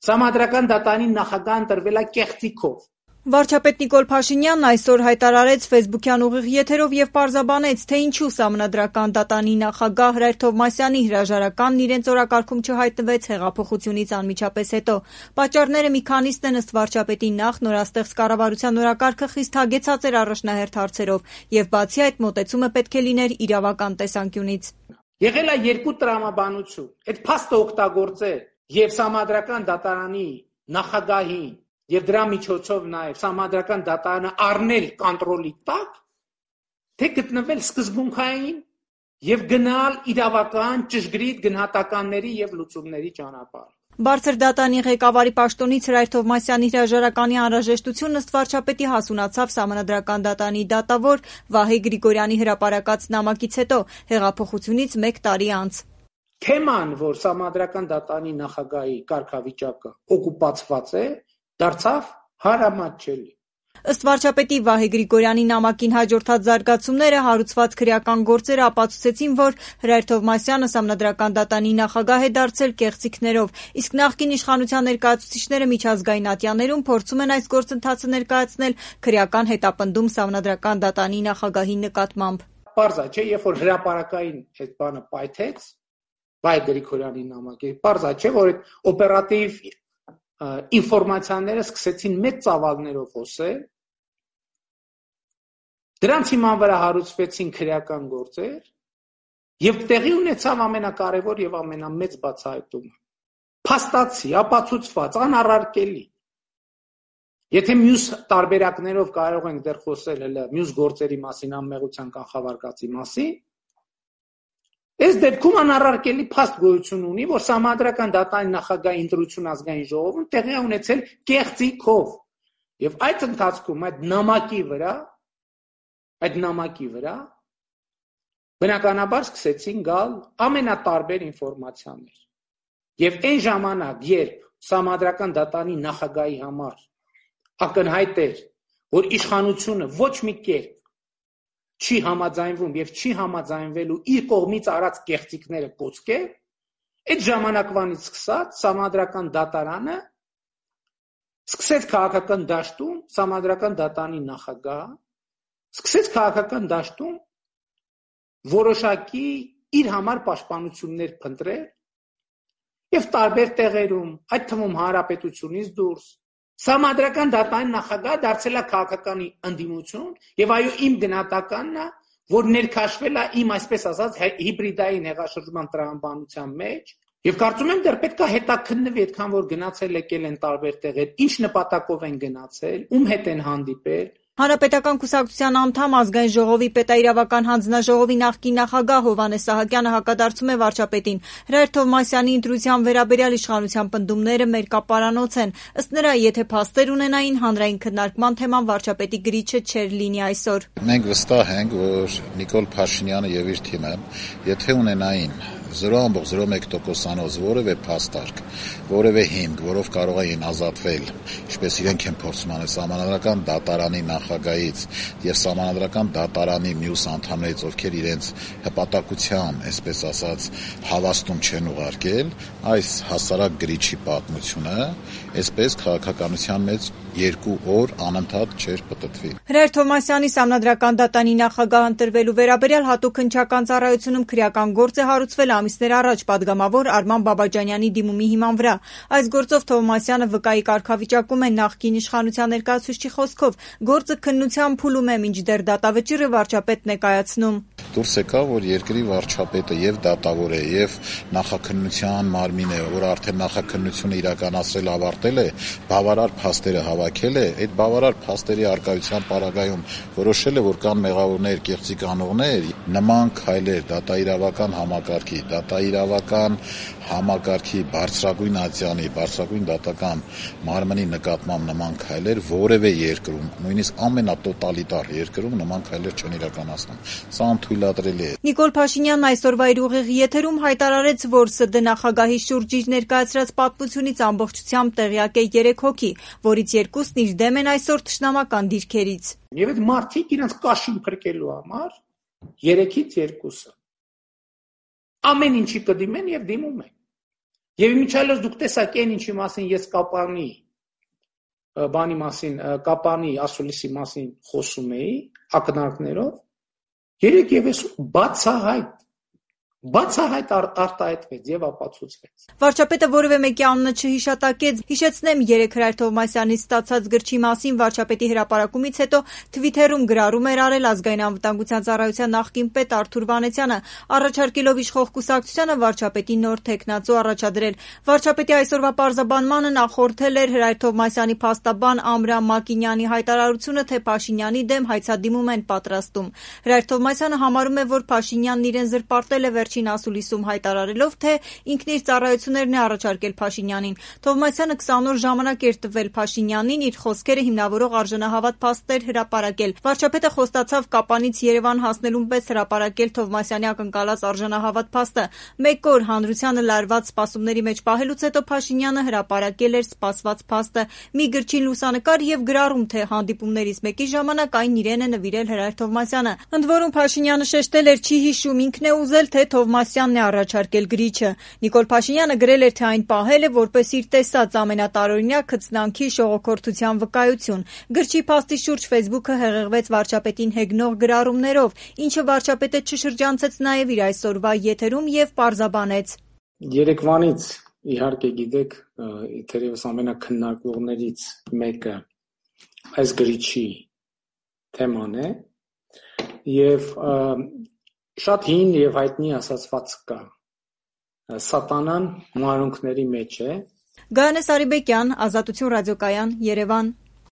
Սահմանադրական դատարանի նախագահ ընտրվել է կեղծիքով։ Վարչապետ Նիկոլ Փաշինյանն այսօր հայտարարեց ֆեյսբուքյան ուղիղ եթերով եւ պարզաբանեց, թե ինչու Սահմանադրական դատարանի նախագահ Հրայր Թովմասյանի հրաժարականն իրենց օրակարգում չհայտնվեց հեղափոխությունից անմիջապես հետո։ Պատճառները մի քանիսն են ըստ վարչապետի նախ նորաստեղծ կառավարության օրակարգը խիստ հագեցած էր առաջնահերթ հարցերով եւ բացի այդ մոտեցումը պետք է լիներ իրավական տեսանկյունից։ Եղել է երկու տրամաբանություն, այդ փաստը օգտագործել եւ Սահմանադրական դատարանի նախագահին եւ դրա միջոցով նաեւ Սահմանադրական դատարանը առնել կոնտրոլի տակ, թե գտնվել սկզբունքային եւ գնալ իրավական ճշգրիտ գնահատականների եւ լուծումների ճանապարհ։ Բարձր դատարանի ղեկավարի պաշտոնից Հրայր Թովմասյանի հրաժարականի անհրաժեշտությունն ըստ վարչապետի հասունացավ Սահմանադրական դատարանի դատավոր Վահե Գրիգորյանի հրապարակած նամակից հետո, հեղափոխությունից 1 տարի անց։ Թեման, որ Սահմանադրական դատարանի նախագահի կարգավիճակը օկուպացված է, դարձավ հարամատչելի։ Ըստ վարչապետի Վահե Գրիգորյանի նամակին հաջորդած զարգացումները հարուցված քրեական գործերը ապացուցեցին, որ Հրայր Թովմասյանը Սահմանադրական դատարանի նախագահ է դարձել կեղծիքներով, իսկ նախկին իշխանության ներկայացուցիչները միջազգային ատյաններում փորձում են այս գործընթացը ներկայացնել քրեական հետապնդում Սահմանադրական դատարանի նախագահի նկատմամբ։ Պարզ է, չէ, երբ որ հրապարակային այդ բանը պայթեց, Վահե Գրիգորյանի նամակը, պարզ է, չէ, որ այդ օպերատիվ ինֆորմացիաները սկսեցին մեծ ծավալներով խոսել, դրանց հիման վրա հարուցվեցին քրեական գործեր եւ տեղի ունեցավ ամենակարևոր եւ ամենամեծ բացահայտումը։ Փաստացի, ապացուցված, անառարկելի։ Եթե մյուս տարբերակներով կարող ենք դեռ խոսել հələ մյուս գործերի մասին, անմեղության կանխավարկածի մասին, այս դեպքում անառարկելի փաստ գոյություն ունի, որ Սահմանադրական դատարանի նախագահի ընտրություն ազգային ժողովում տեղի է ունեցել կեղծիքով։ Եվ այդ ընթացքում այդ նամակի վրա բնականաբար սկսեցին գալ ամենատարբեր ինֆորմացիաներ։ Եվ այն ժամանակ, երբ Սահմանադրական դատարանի նախագահի համար ակնհայտ էր, որ իշխանությունը ոչ մի կերպ չի համաձայնվում եւ չի համաձայնվելու իր կողմից արած կեղծիքները կոծկել, այդ ժամանակվանից սկսած Սահմանադրական դատարանը սկսեց քաղաքական դաշտում Սահմանադրական դատարանի նախագահ սկսեց քաղաքական դաշտում որոշակի իր համար պաշտպանություններ փնտրել եւ տարբեր տեղերում, այդ թվում հանրապետությունից դուրս Սահմանադրական դատարանի նախագահը դարձել է քաղաքական ընդդիմություն եւ այո իմ գնահատականն է, որ ներքաշվել է իմ այսպես ասած հիբրիդային հեղաշրջման տրամաբանության մեջ եւ կարծում եմ դեռ պետք է հետաքննվի այդքան որ գնացել եկել են տարբեր տեղեր, ինչ նպատակով են գնացել, ում հետ են հանդիպել։ Հանրապետական կուսակցության անդամ ազգային ժողովի պետաիրավական հանձնաժողովի նախկին նախագահ Հովհաննես Սահակյանը հակադարձում է վարչապետին։ Հրայր Թովմասյանի ընտրության վերաբերյալ իշխանության պնդումները մերկապարանոց են։ Ըստ նրա, եթե փաստեր ունենային, հանրային քննարկման թեման վարչապետի գրիչը չէր լինի այսօր։ Մենք վստահ ենք, որ Նիկոլ Փաշինյանը եւ իր թիմը, եթե ունենային 0.01%-անոց որևէ փաստարկ, որևէ հիմք, որով կարող էին ազատվել, ինչպես իրենք են փորձում անել Սահմանադրական դատարանի նախագահից եւ Սահմանադրական դատարանի մյուս անդամներից, ովքեր իրենց հպատակության, այսպես ասած, հավաստում չեն ուղարկել, այս հասարակ գրիչի պատմությունը, այսպես քաղաքականության մեջ 2 օր անընդհատ չէր պտտվի։ Հրայր Թովմասյանի Սահմանադրական դատարանի նախագահ ընտրվելու վերաբերյալ հատուկ հնչական ծառայությունում քրեական գործ է հարուցվել ամիսներ առաջ պատգամավոր Արման Բաբաջանյանի դիմումի հիման վրա։ Այս գործով Թովմասյանը վկայի կարգավիճակում է նախկին իշխանության ներկայացուցչի խոսքով գործը քննության փուլում է, մինչդեռ դատավճիռը վարչապետն է կայացնում։ Դուրս եկավ, որ երկրի վարչապետը եւ դատավոր է եւ նախաքննության մարմին է, որ արդեն նախաքննությունը իրականացրել ավարտել է, բավարար փաստերը հավաքել է, այդ բավարար փաստերի արկայության պարագայում որոշել է, որ կան մեղավորներ, կեղծիք անողներ, նման քայլեր դատաիրավական համակարգի բարձրագույն ատյանի, բարձրագույն դատական մարմնի նկատմամբ նման քայլեր որևէ երկրում, նույնիսկ ամենատոտալիտար երկրում նման քայլեր չեն իրականացնում։ Սա անթույլատրելի է։ Նիկոլ Փաշինյանն այսօրվա իր ուղիղ եթերում հայտարարեց, որ ՍԴ նախագահի շուրջ իր ներկայացրած պատմությունից ամբողջությամբ տեղյակ է 3 հոգի, որից 2-ն իր դեմ են այսօր թշնամական դիրքերից։ Եվ այդ մարդիկ իրենց կաշին փրկելու համար 3-ից 2-ը ամեն ինչի կդիմեն եւ դիմում են։ Եվ իմիջիայլոց դուք տեսաք այն ինչի մասին ես Կապանի ասուլիսի մասին խոսում էի, ակնարկներով, երեք եւս բացահայտ արտահայտվեց եւ ապացուցվեց։ Վարչապետը որևէ մեկի անունը չհիշատակեց, հիշեցնեմ 3 Հրայր Թովմասյանից ստացած գրչի մասին վարչապետի հրապարակումից հետո Թվիթերում գրառում էր արել Ազգային անվտանգության ծառայության նախկին պետ Արթուր Վանեցյանը, առաջարկելով իշխող կուսակցությանը վարչապետի նոր թեկնածու առաջադրել։ Վարչապետի այսօրվա պարզաբանմանը նախորդել էր Հրայր Թովմասյանի փաստաբան Ամրամ Մակինյանի հայտարարությունը, թե Փաշինյանի դեմ հայցադիմում են պատրաստում։ Հրայր Թովմասյանը համարում է, որ Փաշինյանն իրեն զրպարտել է վերջին ասուլիսում հայտարարելով, թե ինքն իր ծառայություններն է առաջարկել Փաշինյանին։ Թովմասյանը 20 օր ժամանակ էր տվել Փաշինյանին իր խոսքերը հիմնավորող արժանահավատ փաստեր հրապարակել։ Վարչապետը խոստացավ Կապանից Երևան հասնելուն պես հրապարակել Թովմասյանի ակնկալած արժանահավատ փաստը։ Մեկ օր հանրությանը լարված սպասումների մեջ պահելուց հետո Փաշինյանը հրապարակել էր սպասված փաստը՝ մի գրչին լուսանկար եւ գրառում, թե հանդիպումներից մեկի ժամանակ այն իրեն է նվիրել Հրայր Թովմասյանը։ Ընդ որում Փաշինյանը շեշտել էր, չի հիշում ինքն է ուզել, թե Թովմասյանն է առաջարկել գրիչը։ Նիկոլ Փաշինյանը գրել էր, թե այն պահել է որպես իր տեսած ամենատարօրինակ քծնանքի շողոքորթության վկայություն։ Գրչի փաստի շուրջ Facebook-ը հեղեղվեց վարչապետին հեգնող գրառումներով, ինչը վարչապետը չշրջանցեց նաև իր այսօրվա եթերում եւ պարզաբանեց. Երեկվանից իհարկե գիտեք, թերևս ամենակննարկվողներից մեկը այս գրիչի թեման է եւ շատ հին եւ հայտնի ասացված կա. Սատանան մանրունքների մեջ է։ Գայանե Սարիբեկյան, Ազատություն ռադիոկայան, Երևան։